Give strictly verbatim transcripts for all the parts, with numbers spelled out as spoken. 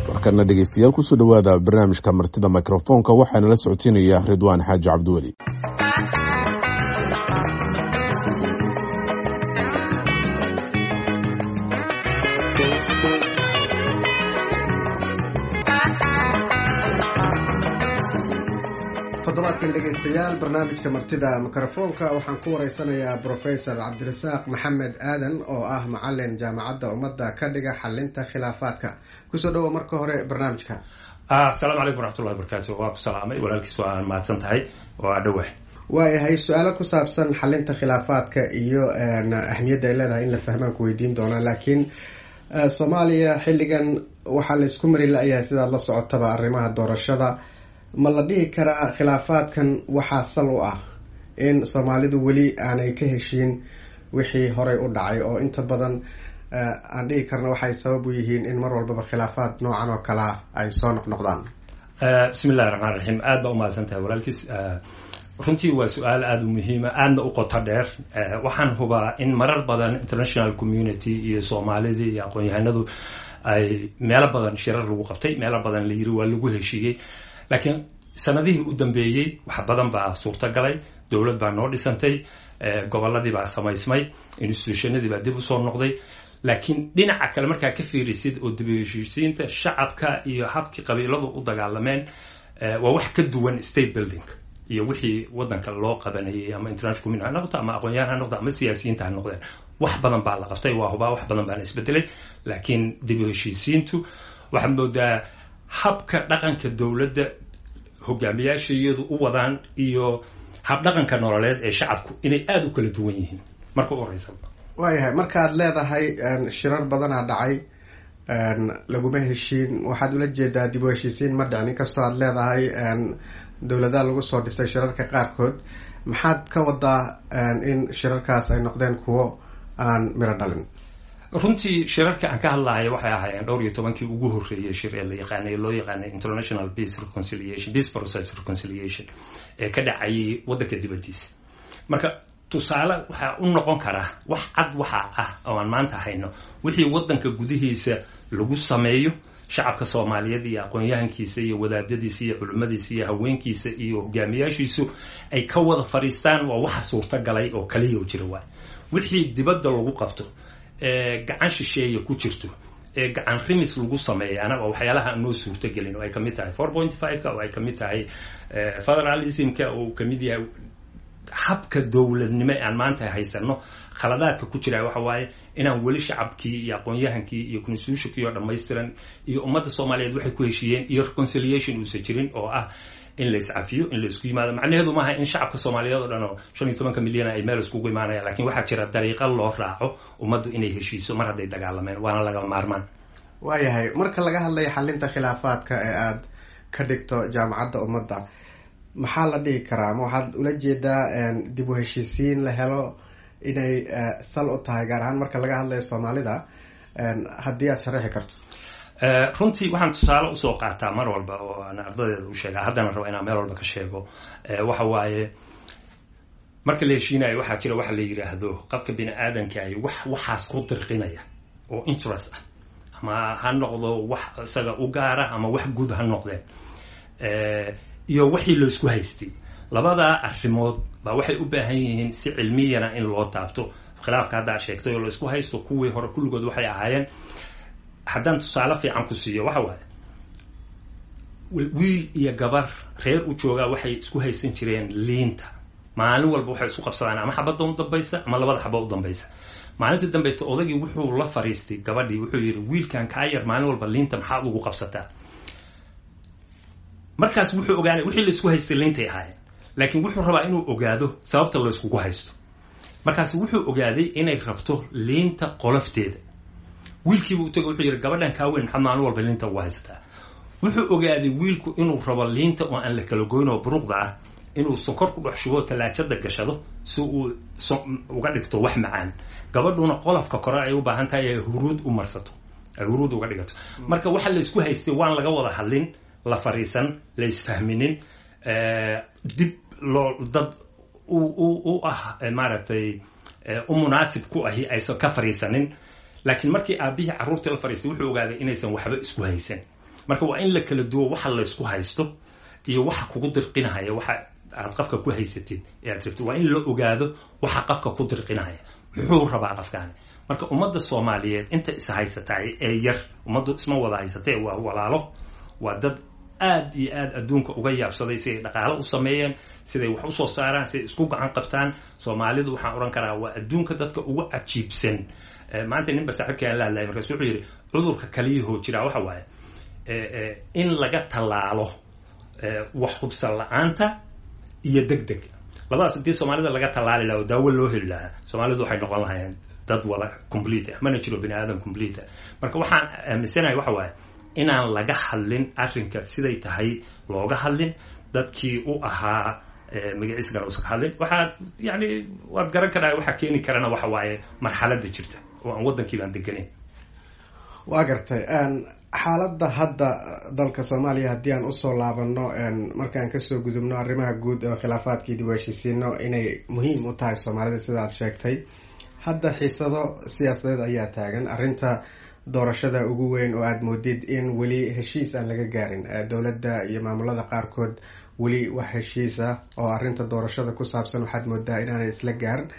Markana dhegeystayaal, kusoo dhowaada barnaamijka Martida Mikrofoonka. Waxaana la socotiinaya Ridwaan Xaaji Cabdiweli. Toddobaadkan dhegeystayaal, barnaamijka Martida Mikrofoonka waxaan ku wareysanayaa Professor Cabdirasaaq Maxamed Aadan oo ah macalin Jaamacadda Ummadda ka dhiga xalinta khilaafaadka. Kusoo dhawo marka hore barnaamijka. Asalaamu calaykum waraxmatullahi wabarakaatu. Waa ku salaamay walaalkiis, waa mahadsan tahay, waa dhowah. Waayahay, su-aalo ku saabsan xalinta khilaafaadka iyo ahmiyadda ay leedahay in la fahmaan ku weydiin doonaa, laakiin Soomaaliya xilligan waxaa la isku mari la-yahay, sidaad la socotaba, arrimaha doorashada. Ma la dhihi karaa khilaafaadkan waxaa sal u ah in Soomaalidu weli aanay ka heshiin wixii horay u dhacay, oo inta badan aan dhihi karna waxay sabab u yihiin in mar walbaba khilaafaad noocan oo kalea ay soo noqnoqdaan? Bismi illahi raxmaan raxiim. Aad baa umahadsan tahay walaalkiis. Runtii waa su-aal aada u muhiima, aadna u qoto dheer. Waxaan hubaa in marar badan international community iyo Soomaalidii iyo aqoon-yahanadu ay meelo badan shirar lagu qabtay, meelo badan la yiri waa lagu heshiiyey, laakiin sanadihii u dambeeyey wax badan baa suurtagalay. Dowlad baa noo dhisantay, gobolladii baa samaysmay, institutionadii baa dib usoo noqday. Laakiin dhinaca kale markaa ka fiirisid oo dib u heshiisiinta shacabka iyo habkii qabiiladu u dagaalameen, waa wax ka duwan state building iyo wixii waddanka loo qabanayay, ama international community ha noqoto, ama aqoon-yahan ha noqdo, ama siyaasiyiinta ha noqdeen. Wax badan baa la qabtay, waa hubaa, wax badan baana isbedelay, laakiin dib u heshiisiintu waxaad moodaa habka dhaqanka dowladda hogaamiyaasha iyadu u wadaan iyo habdhaqanka nololeed ee shacabku inay aada u kala duwan yihiin marka u horeysa. Waayahay, markaad leedahay shirar badanaa dhacay laguma heshiin, waxaad ula jeedaa dib u heshiisiin ma dhicin, inkastoo aad leedahay dowladaha lagu soo dhisay shirarka qaarkood? Maxaad ka wadaa in shirarkaas ay noqdeen kuwo aan miro dhalin? Runtii shirarka aan ka hadlahayo waxay ahaayeen dhowr iyo tobankii ugu horreeyey shir ee la yaqaanay, loo yaqaanay International Peace Reconciliation, Peace Process Reconciliation, ee ka dhacayay waddanka dibaddiisa. Marka tusaale waxaa u noqon karaa wax cad waxaa ah oo aan maanta hayno wixii waddanka gudihiisa lagu sameeyo, shacabka Soomaaliyeed iyo aqoon-yahankiisa iyo wadaadadiisa iyo culimmadiisa iyo haweenkiisa iyo hogaamiyaashiisu ay ka wada fadhiistaan, waa waxa suurtagalay oo kaliya jira. Waay wixii dibadda lagu qabto ee gacan shisheeye ku jirto ee gacan rimis lagu sameeyaana waa waxyaalaha aan noo suurtagelin, oo ay kamid tahay four point five-ka, oo ay kamid tahay federalismka, oo uu kamid yahay habka dowladnimo ee aan maanta haysano. Khaladaadka ku jira waxa waaye inaan weli shacabkii iyo aqoon-yahankii iyo constitutionkii oo dhammaystiran iyo ummadda Soomaaliyeed waxay ku heshiiyeen iyo reconciliation uusan jirin, oo ah in la iscafiyo, in la isku yimaado. Macnaheedu maaha in shacabka Soomaaliyeed oo dhan oo shan iyo tobanka milyan ay meel iskugu imaanayaan, lakin waxaa jira dariiqo loo raaco ummaddu inay heshiiso mar hadday dagaalameen, waana laga maarmaan. Waayahay, marka laga hadlayo xalinta khilaafaadka ee aada ka dhigto Jaamacadda Ummadda, maxaa la dhihi karaa? Ma waxaad ula jeedaa dib u heshiisiin la helo inay sal u tahay, gaar ahaan marka laga hadlayo Soomaalida? Haddii aad sharaxi karto. Runtii waxaan tusaale usoo qaataa mar walba oo aan ardadeeda u sheega, haddana rabo inaan meel walba ka sheego, waxa waaye marka la heshiinayo waxaa jira waxa la yidhaahdo qofka bini aadamkaahi wax waxaas ku dirqinaya oo interest ah, ama ha noqdo wax isaga u gaara ama wax guud ha noqdeen, iyo wixii laysku haystay. Labadaa arrimood baa waxay u baahan yihiin si cilmiyana in loo taabto. Khilaafka haddaa sheegtay oo laysku haysto, kuwii hore kulligood waxay ahaayeen, haddaan tusaale fiican ku siiyo, waxa waaye wiil iyo gabar reer u joogaa waxay isku haysan jireen liinta. Maalin walba waxay isku qabsadaan ama xabadda u dambaysa ama labada xaba u dambaysa. Maalinta dambayta odagii wuxuu la fariistay gabadhii, wuxuu yidhi: "Wiilkan kaa yar maalin walba liinta maxaad ugu qabsataa?" Markaas wuxuu ogaanay wixii laisku haystay liintay ahaayeen, laakiin wuxuu rabaa inuu ogaado sababta layskugu haysto. Markaas wuxuu ogaaday inay rabto liinta qolofteeda. Wiilkiibu u tagay, wuxuu yidhi: "Gabadhan kaa weyn maxaad maalin walba liinta ugu haysataa?" Wuxuu ogaaday wiilku inuu rabo liinta oo aan la kala goyn oo buruqda ah inuu sonkor ku dhex shubo, talaajada gashado, si uu uga dhigto wax macaan. Gabadhuna qolofka kore ay u baahan tahay ay huruud u marsato, ay huruud uga dhigato. Marka waxa la isku haystay waan laga wada hadlin, la fariisan, la isfahminin, dib loo dad u u ah maaragtay u munaasib ku ahi aysan ka fariisanin. Laakiin markii aabihii carruurtii la fariistay, wuxuu ogaaday inaysan waxba isku haysan. Marka waa in la kala duwo waxa laysku haysto iyo waxa kugu dirqinahaya. Waxa aad qafka ku haysatid ee aad rabtid waa in la ogaado waxa qafka ku dirqinahaya, muxuu rabaa qafkaani. Marka ummadda Soomaaliyeed inta is haysataay ee yar, ummaddu isma wada haysatee, waa walaalo, waa dad aad iyo aad adduunka uga yaabsaday siday dhaqaalo u sameeyeen, siday wax usoo saaraan, siday isku gacan qabtaan. Soomaalidu waxaan odhan karaa waa adduunka dadka ugu cajiibsan. Maanta ninba saaxiibkii aan la hadlayay, markaas wuxuu yidhi cudurka kaliyahoo jiraa waxa waaye in laga tallaalo wax hubsan la-aanta iyo deg deg. Labadaas haddii Soomaalida laga tallaali lahaa oo daawo loo heli lahaa, Soomaalidu waxay noqon lahayeen dad wada complete ah. Mana jiro bini aadam complete ah. Marka waxaan aaminsanahay waxa waaye inaan laga hadlin arrinka siday tahay looga hadlin, dadkii u ahaa magaciisgana uusan ka hadlin. Waxaad yani waad garan karaa waxaa keeni karana waxa waaye marxaladda jirta oo aan waddankii baan deganayn. Waa gartay. Xaaladda hadda dalka Soomaaliya haddii aan usoo laabano, markaan kasoo gudubno arrimaha guud oo khilaafaadkii dib u heshiisiino inay muhiim u tahay Soomaalida sida aad sheegtay, hadda xiisado siyaasadeed ayaa taagan. Arrinta doorashada ugu weyn oo aada moodid in weli heshiis aan laga gaarin, dowladda iyo maamulada qaarkood weli wax heshiis ah oo arrinta doorashada ku saabsan waxaad moodaa inaanay isla gaarin.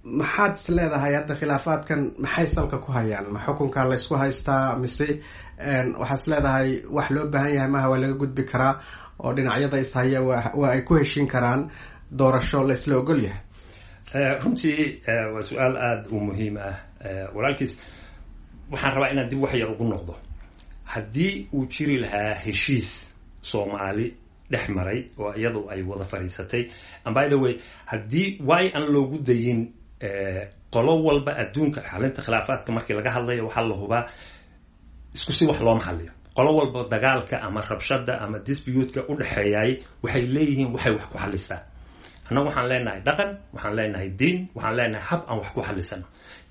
Maxaad is leedahay hadda khilaafaadkan maxay salka ku hayaan? Ma xukunka la isku haystaa, mise waxaad is leedahay wax loo baahan yahay maaha, waa laga gudbi karaa oo dhinacyada ishaya waa ay ku heshiin karaan doorasho la isla ogol yahay? Runtii waa su-aal aada u muhiim ah, walaalkiis. Waxaan rabaa inaan dib wax yar ugu noqdo. Haddii uu jiri lahaa heshiis Soomaali dhex maray oo iyadu ay wada fadhiisatay, and by the way, haddii way aan loogu dayin qolo walba adduunka xalinta khilaafaadka markii laga hadlayo, waxaa la hubaa isku si wax looma xaliyo. Qolo walba dagaalka ama rabshada ama dispute-ka u dhexeeyay waxay leeyihiin waxay wax ku xalistaa. Annagu waxaan leenahay dhaqan, waxaan leenahay diin, waxaan leenahay hab aan wax ku xalisano.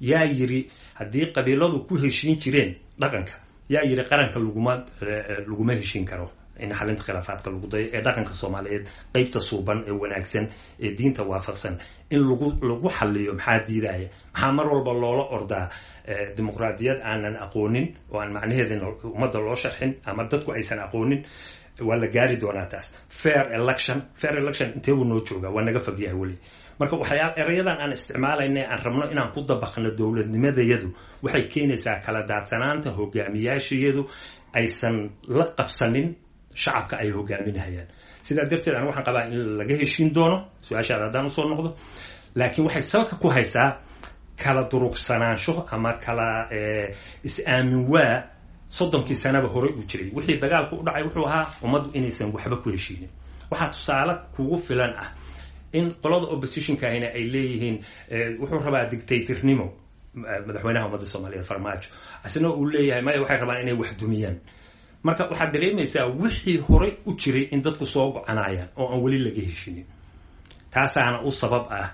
Yaa yiri haddii qabiiladu ku heshiin jireen dhaqanka, yaa yiri qaranka laguma laguma heshiin karo in xalinta khilaafaadka lagu dayo ee dhaqanka Soomaaliyeed qeybta suuban ee wanaagsan ee diinta waafaqsan in lagu lagu xaliyo? Maxaa diidaya? Maxaa mar walba loola ordaa dimuqraadiyad aanan aqoonin oo aan macnaheedina ummadda loo sharxin ama dadku aysan aqoonin? Waa la gaari doonaa taas. Fair election, fair election intee buu noo joogaa? Waa naga fogyahay weli. Marka waxyaaba erayadan aan isticmaalayna aan rabno inaan ku dabaqno dowladnimadayadu waxay keenaysaa kala daadsanaanta hogaamiyaashayadu aysan la qabsanin shacabka ay hogaaminahayaan. Sidaa darteed anigu waxaan qabaa in laga heshiin doono. Su-aashaada haddaan usoo noqdo, laakiin waxay salka ku haysaa kala durugsanaansho ama kala is-aamin. Waa soddonkii sanaba horey uu jiray wixii dagaalku u dhacay wuxuu ahaa ummaddu inaysan waxba ku heshiinin. Waxaa tusaale kugu filan ah in qolada oppositionka ahina ay leeyihiin wuxuu rabaa dictatornimo madaxweynaha ummadda Soomaaliyeed Farmaajo, isna uu leeyahay maya, waxay rabaan inay wax dumiyaan. Marka waxaad dareemaysaa wixii horey u jiray in dadku soo gocanayaan oo aan weli laga heshinin. Taasaana u sabab ah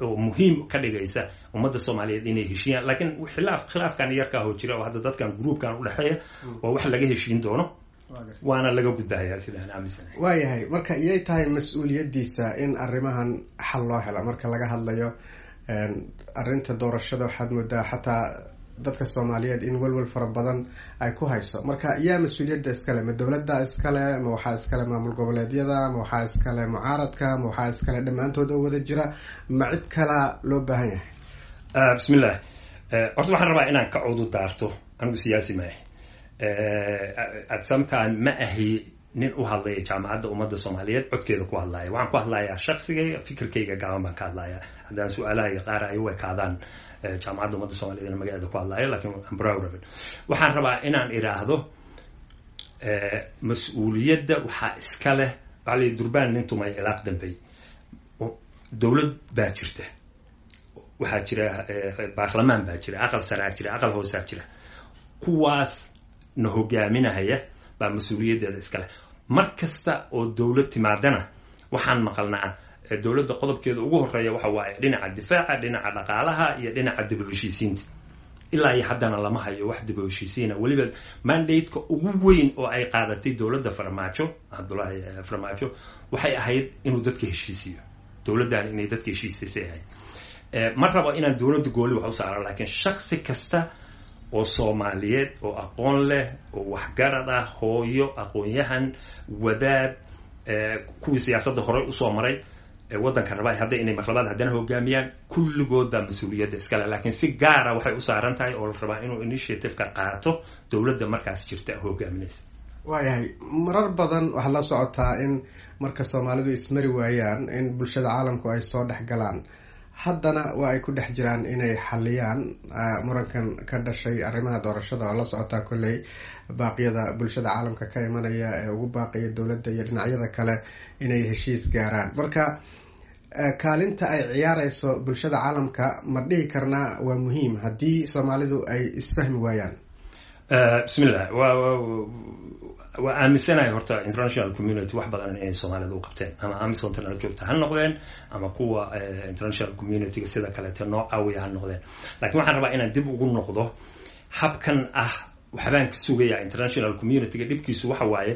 oo muhiim ka dhigaysa ummadda Soomaaliyeed inay heshiiyaan. Laakiin khilaaf khilaafkan yarkaa hoo jira oo hadda dadkan groupkan udhexeeya waa wax laga heshiin doono, waana laga gudbahayaa sidaan aaminsanahay. Waayahay. Marka iyay tahay mas-uuliyaddiisa in arrimahan xal loo helo? Marka laga hadlayo arrinta doorashada, waxaad moodaa xataa dadka Soomaaliyeed in welwel fara badan ay ku hayso. Marka yaa mas-uuliyadda iskale? Ma dowladda iskale, ma waxaa iskale maamul goboleedyada, ma waxaa iskale mucaaradka, ma waxaa iskale dhammaantood oo wada jira, ma cid kalaa loo baahan yahay? Bismillah. Horta waxaan rabaa inaan ka cudu daarto, anigu siyaasi maahi, at some time ma ahi nin u hadlaya Jaamacadda Ummadda Soomaaliyeed codkeeda ku hadlaya. Waxaan ku hadlayaa shaksigayga, fikirkayga gaaban baan ka hadlayaa. Haddaan su-aalaha qaar ay u ekaadaan Jaamacadda Ummadda Soomaaliyeed magaceeda ku hadlayo, lakin I'm proud of it. Waxaan rabaa inaan idhaahdo mas-uuliyadda waxaa iska leh, waxaa la yidhi durbaan nin tumay ilaaq dambey. Dowlad baa jirta, waxaa jira baarlamaan baa jira, aqal saraa jira, aqal hoosaa jira. Kuwaas na hogaaminahaya baa mas-uuliyaddeeda iska leh. Mar kasta oo dowlad timaadana waxaan maqalnaa dowladda qodobkeeda ugu horeeya waxa waaye dhinaca difaaca, dhinaca dhaqaalaha iyo dhinaca dib u heshiisiinta. Ilaa iyo haddana lama hayo wax dib u heshiisiina. Weliba mandate-ka ugu weyn oo ay qaadatay dowladda Farmaajo, Cabdullaahi Farmaajo, waxay ahayd inuu dadka heshiisiyo, dowladdan inay dadka heshiisisay ahayd. Ma rabo inaan dowladda gooli wax u saaro, laakiin shaksi kasta Oo Soomaaliyeed oo aqoon leh oo waxgarad ah, hooyo, aqoon-yahan, wadaad, kuwii siyaasadda horey usoo maray, waddanka rabaa hadda inay marlabaad haddana hogaamiyaan, kulligood baa mas-uuliyadda iskale. Laakiin si gaara waxay u saaran tahay oo la rabaa inuu initiative-ka qaato dowladda markaas jirta hogaaminaysa. Waayahay, marar badan waxaad la socotaa in marka Soomaalidu ismari waayaan in bulshada caalamku ay soo dhex galaan. Haddana waa ay ku dhex jiraan inay xaliyaan murankan ka dhashay arrimaha doorashada, oo la socotaa kolley baaqyada bulshada caalamka ka imanaya ee ugu baaqaya dowladda iyo dhinacyada kale inay heshiis gaaraan. Marka kaalinta ay ciyaareyso bulshada caalamka ma dhihi karnaa waa muhiim haddii Soomaalidu ay isfahmi waayaan? Bismillah, wa waa aaminsanahay horta international community wax badan inay Soomaalida u qabteen, ama AMISOM nala joogta ha noqdeen ama kuwa international community-ga sida kaleete noo caawiya ha noqdeen. Lakiin waxaan rabaa inaan dib ugu noqdo habkan ah waxbaan ka sugayaa international community-ga. Dhibkiisu waxa waaye,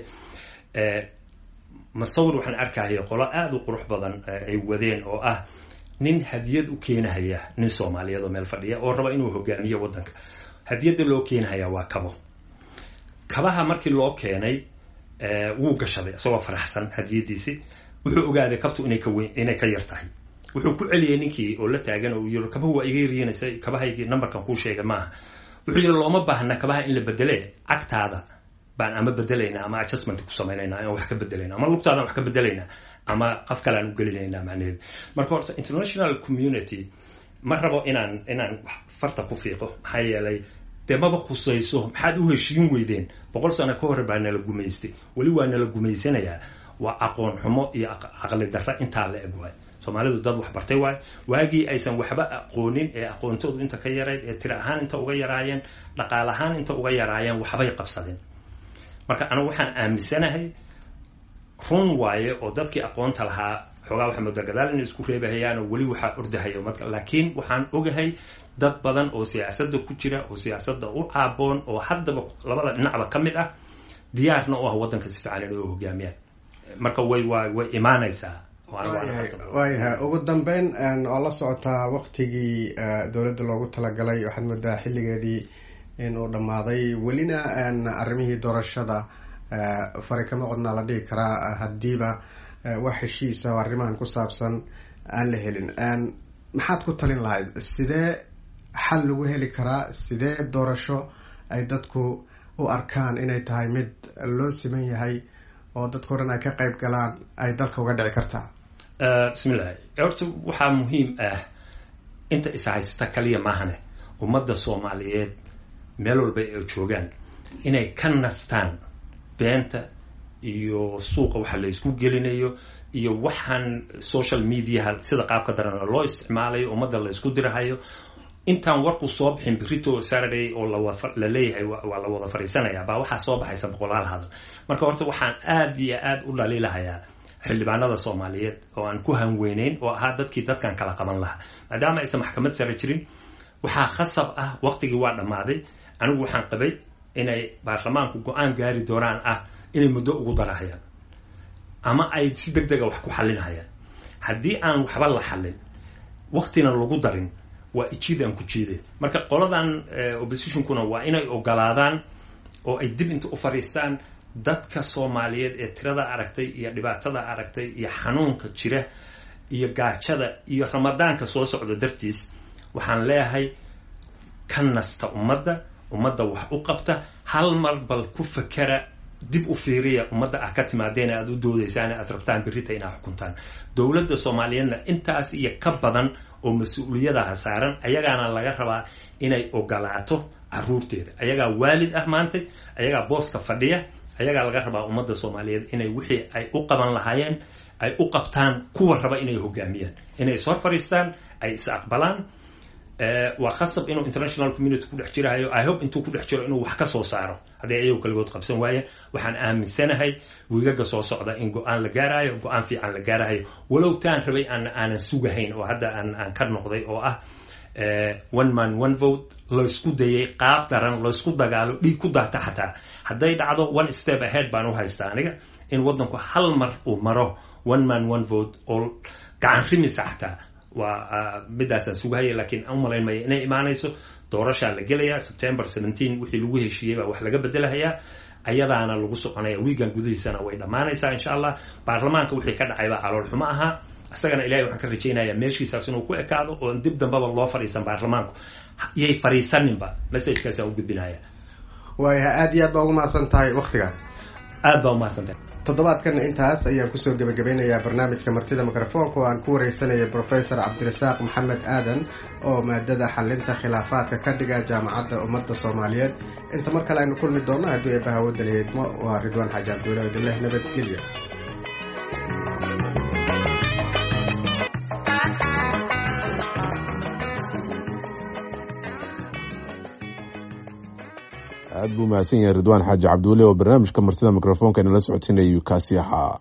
masawir waxaan arkahaya qolo aada u qurux badan ay wadeen oo ah nin hadiyad u keenahaya nin Soomaaliyeed oo meel fadhiya oo raba inuu hogaamiyo waddanka. Hadiyadda loo keenahaya waa kabo. Kabaha markii loo keenay wuu gashaday isagoo faraxsan hadiyadiisi. Wuxuu ogaaday kabtu inay ka weyn, inay ka yar tahay. Wuxuu ku celiyey ninkii oo la taagan oo yiri, "Kabahu waa iga yaryiinaysa, kabahaygii numberkan kuu sheegay maaha." Wuxuu yiri, "Looma baahna kabaha in la bedele, cagtaada baan ama bedelaynaa ama adjustment ku samaynayna ama wax ka bedelayna ama lugtaadaan wax ka bedelaynaa ama qof kale aan u gelinaynaa." Macnaheedu marka horta international community ma rabo inaan inaan farta ku fiiqo, maxaa yeelay dee maba khusayso. Maxaad u heshiin weydeen? Boqol sano ka hor baa nala gumaystay, weli waa nala gumaysanayaa. Waa aqoon xumo iyo caqli darra intaa la eg waay. Soomaalidu dad wax bartay waay. Waagii aysan waxba aqoonin ee aqoontoodu inta ka yarayd, ee tiro ahaan inta uga yaraayeen, dhaqaale ahaan inta uga yaraayeen, waxbay qabsadeen. Marka anigu waxaan aaminsanahay, run waaye oo dadkii aqoonta lahaa xoogaa waxaa moodaa gadaal inay isku reebahayaan oo weli waxaa ordahaya marka. Laakiin waxaan ogahay dad badan oo siyaasadda ku jira oo siyaasadda u caaboon oo haddaba labada dhinacba ka mid ah, diyaarna u ah waddanka si fiican inay u hogaamiyaan. Marka way waa way imaanaysaa. Waayahay, ugu dambeyn, oo la socotaa waktigii dowladda loogu talagalay, waxaad moodaa xilligeedii inuu dhammaaday, welina arrimihii doorashada fari kama qodnaa la dhihi karaa. Haddiiba wax heshiisa oo arrimahan ku saabsan aan la helin, maxaad ku talin lahayd? Sidee xal lagu heli karaa? Sidee doorasho ay dadku u arkaan inay tahay mid loo siman yahay oo dadka o dhan ay ka qayb galaan ay dalka uga dhici kartaa? Bismillahi, horta waxaa muhiim ah inta is haysata kaliya maahane, ummadda Soomaaliyeed meel walba ay joogaan inay ka nastaan beenta iyo suuqa waxa la isku gelinayo iyo waxaan social mediaha sida qaabka darana loo isticmaalayo, ummadda la isku dirahayo. Intaan warku soo bixin berito Saturday oo la leeyahay waa la wada fariisanaya baa waxaa soo baxaysa boqolaal hadal. Marka horta waxaan aad iyo aad u dhaliilahayaa xildhibaanada Soomaaliyeed oo aan ku hanweyneyn oo ahaa dadkii dadkan kala qaban lahaa. Maadaama aysan maxkamad sare jirin, waxaa khasab ah, waqtigii waa dhammaaday. Anigu waxaan qabay inay baarlamaanku go-aan gaari doonaan ah inay muddo ugu darahayaan ama ay si deg dega wax ku xalinhayaan. Haddii aan waxba la xalin, waqtina lagu darin, waa ijiid aan ku jiiday. Marka qoladan oppositionkuna waa inay ogolaadaan oo ay dib inta u fadhiistaan dadka Soomaaliyeed ee tirada aragtay iyo dhibaatada aragtay iyo xanuunka jira iyo gaajada iyo Ramadaanka soo socda dartiis. Waxaan leeyahay, ka nasta ummadda, ummadda wax u qabta, hal mar bal ku fakera, dib u fiiriya ummadda ah ka timaadeen aad u doodaysaan, aad rabtaan berrita inaad xukuntaan. Dowladda Soomaaliyeedna intaas iyo ka badan oo mas-uuliyadaha saaran, ayagaana laga rabaa inay ogolaato caruurteeda. Ayagaa waalid ah maantay, ayagaa booska fadhiya, ayagaa laga rabaa ummadda Soomaaliyeed inay wixii ay u qaban lahaayeen ay u qabtaan. Kuwa raba inay hogaamiyaan inay is hor fadhiistaan, ay is aqbalaan. Waa khasab inuu international community ku dhex jirahayo. I hope intuu ku dhex jiro inuu wax ka soo saaro hadday ayagu kaligood qabsan waayeen. Waxaan aaminsanahay wiigaga soo socda in go-aan la gaarayo, go-aan fiican la gaarahayo, walow taan rabay aan aanan sugahayn oo hadda aan aan ka noqday oo ah one man one vote laysku dayay, qaab daran laysku dagaalo, dhiig ku daata. Xataa hadday dhacdo, one step ahead baan u haystaa aniga in waddanku hal mar uu maro one man one vote oo gacan rimisa xataa waa midaasaan sugahaya, laakiin u malayn maya inay imaanayso. Doorashaa la gelayaa September seventeen, wixii lagu heshiiyey baa wax laga bedelahayaa, ayadaana lagu soconaya. Wiigan gudihiisana way dhammaanaysaa insha Allah. Baarlamaanka wixii ka dhacay baa calool xumo ahaa, isagana Ilahay waxaan ka rajaynayaa meeshiisaas inuu ku ekaado oon dib dambaba loo fadhiisan. Baarlamaanku yay fadhiisaninba, messagekaasaan u gudbinaya. Waaya, aada iyo aad baa ugu mahadsan tahay waktiga. Aad baa umahadsan tahay. Toddobaadkan intaas ayaan kusoo gebagabeynayaa barnaamijka martida mikrofoonka oo aan ku wareysanaya Professor Cabdirasaaq Maxamed Aadan oo maadada xalinta khilaafaadka ka dhiga Jaamacadda Ummadda Soomaaliyeed. Inta mar kale aynu kulmi doonno haddii eebbaha waddan heedmo, waa Ridwaan Xaaji Cabdiweli odileh, nabadgelyo. Aad buu mahadsan yahay Ridwaan Xaaji Cabdiweli oo barnaamijka martida mikrofoonka inala socodsiinayu kaasi ahaa.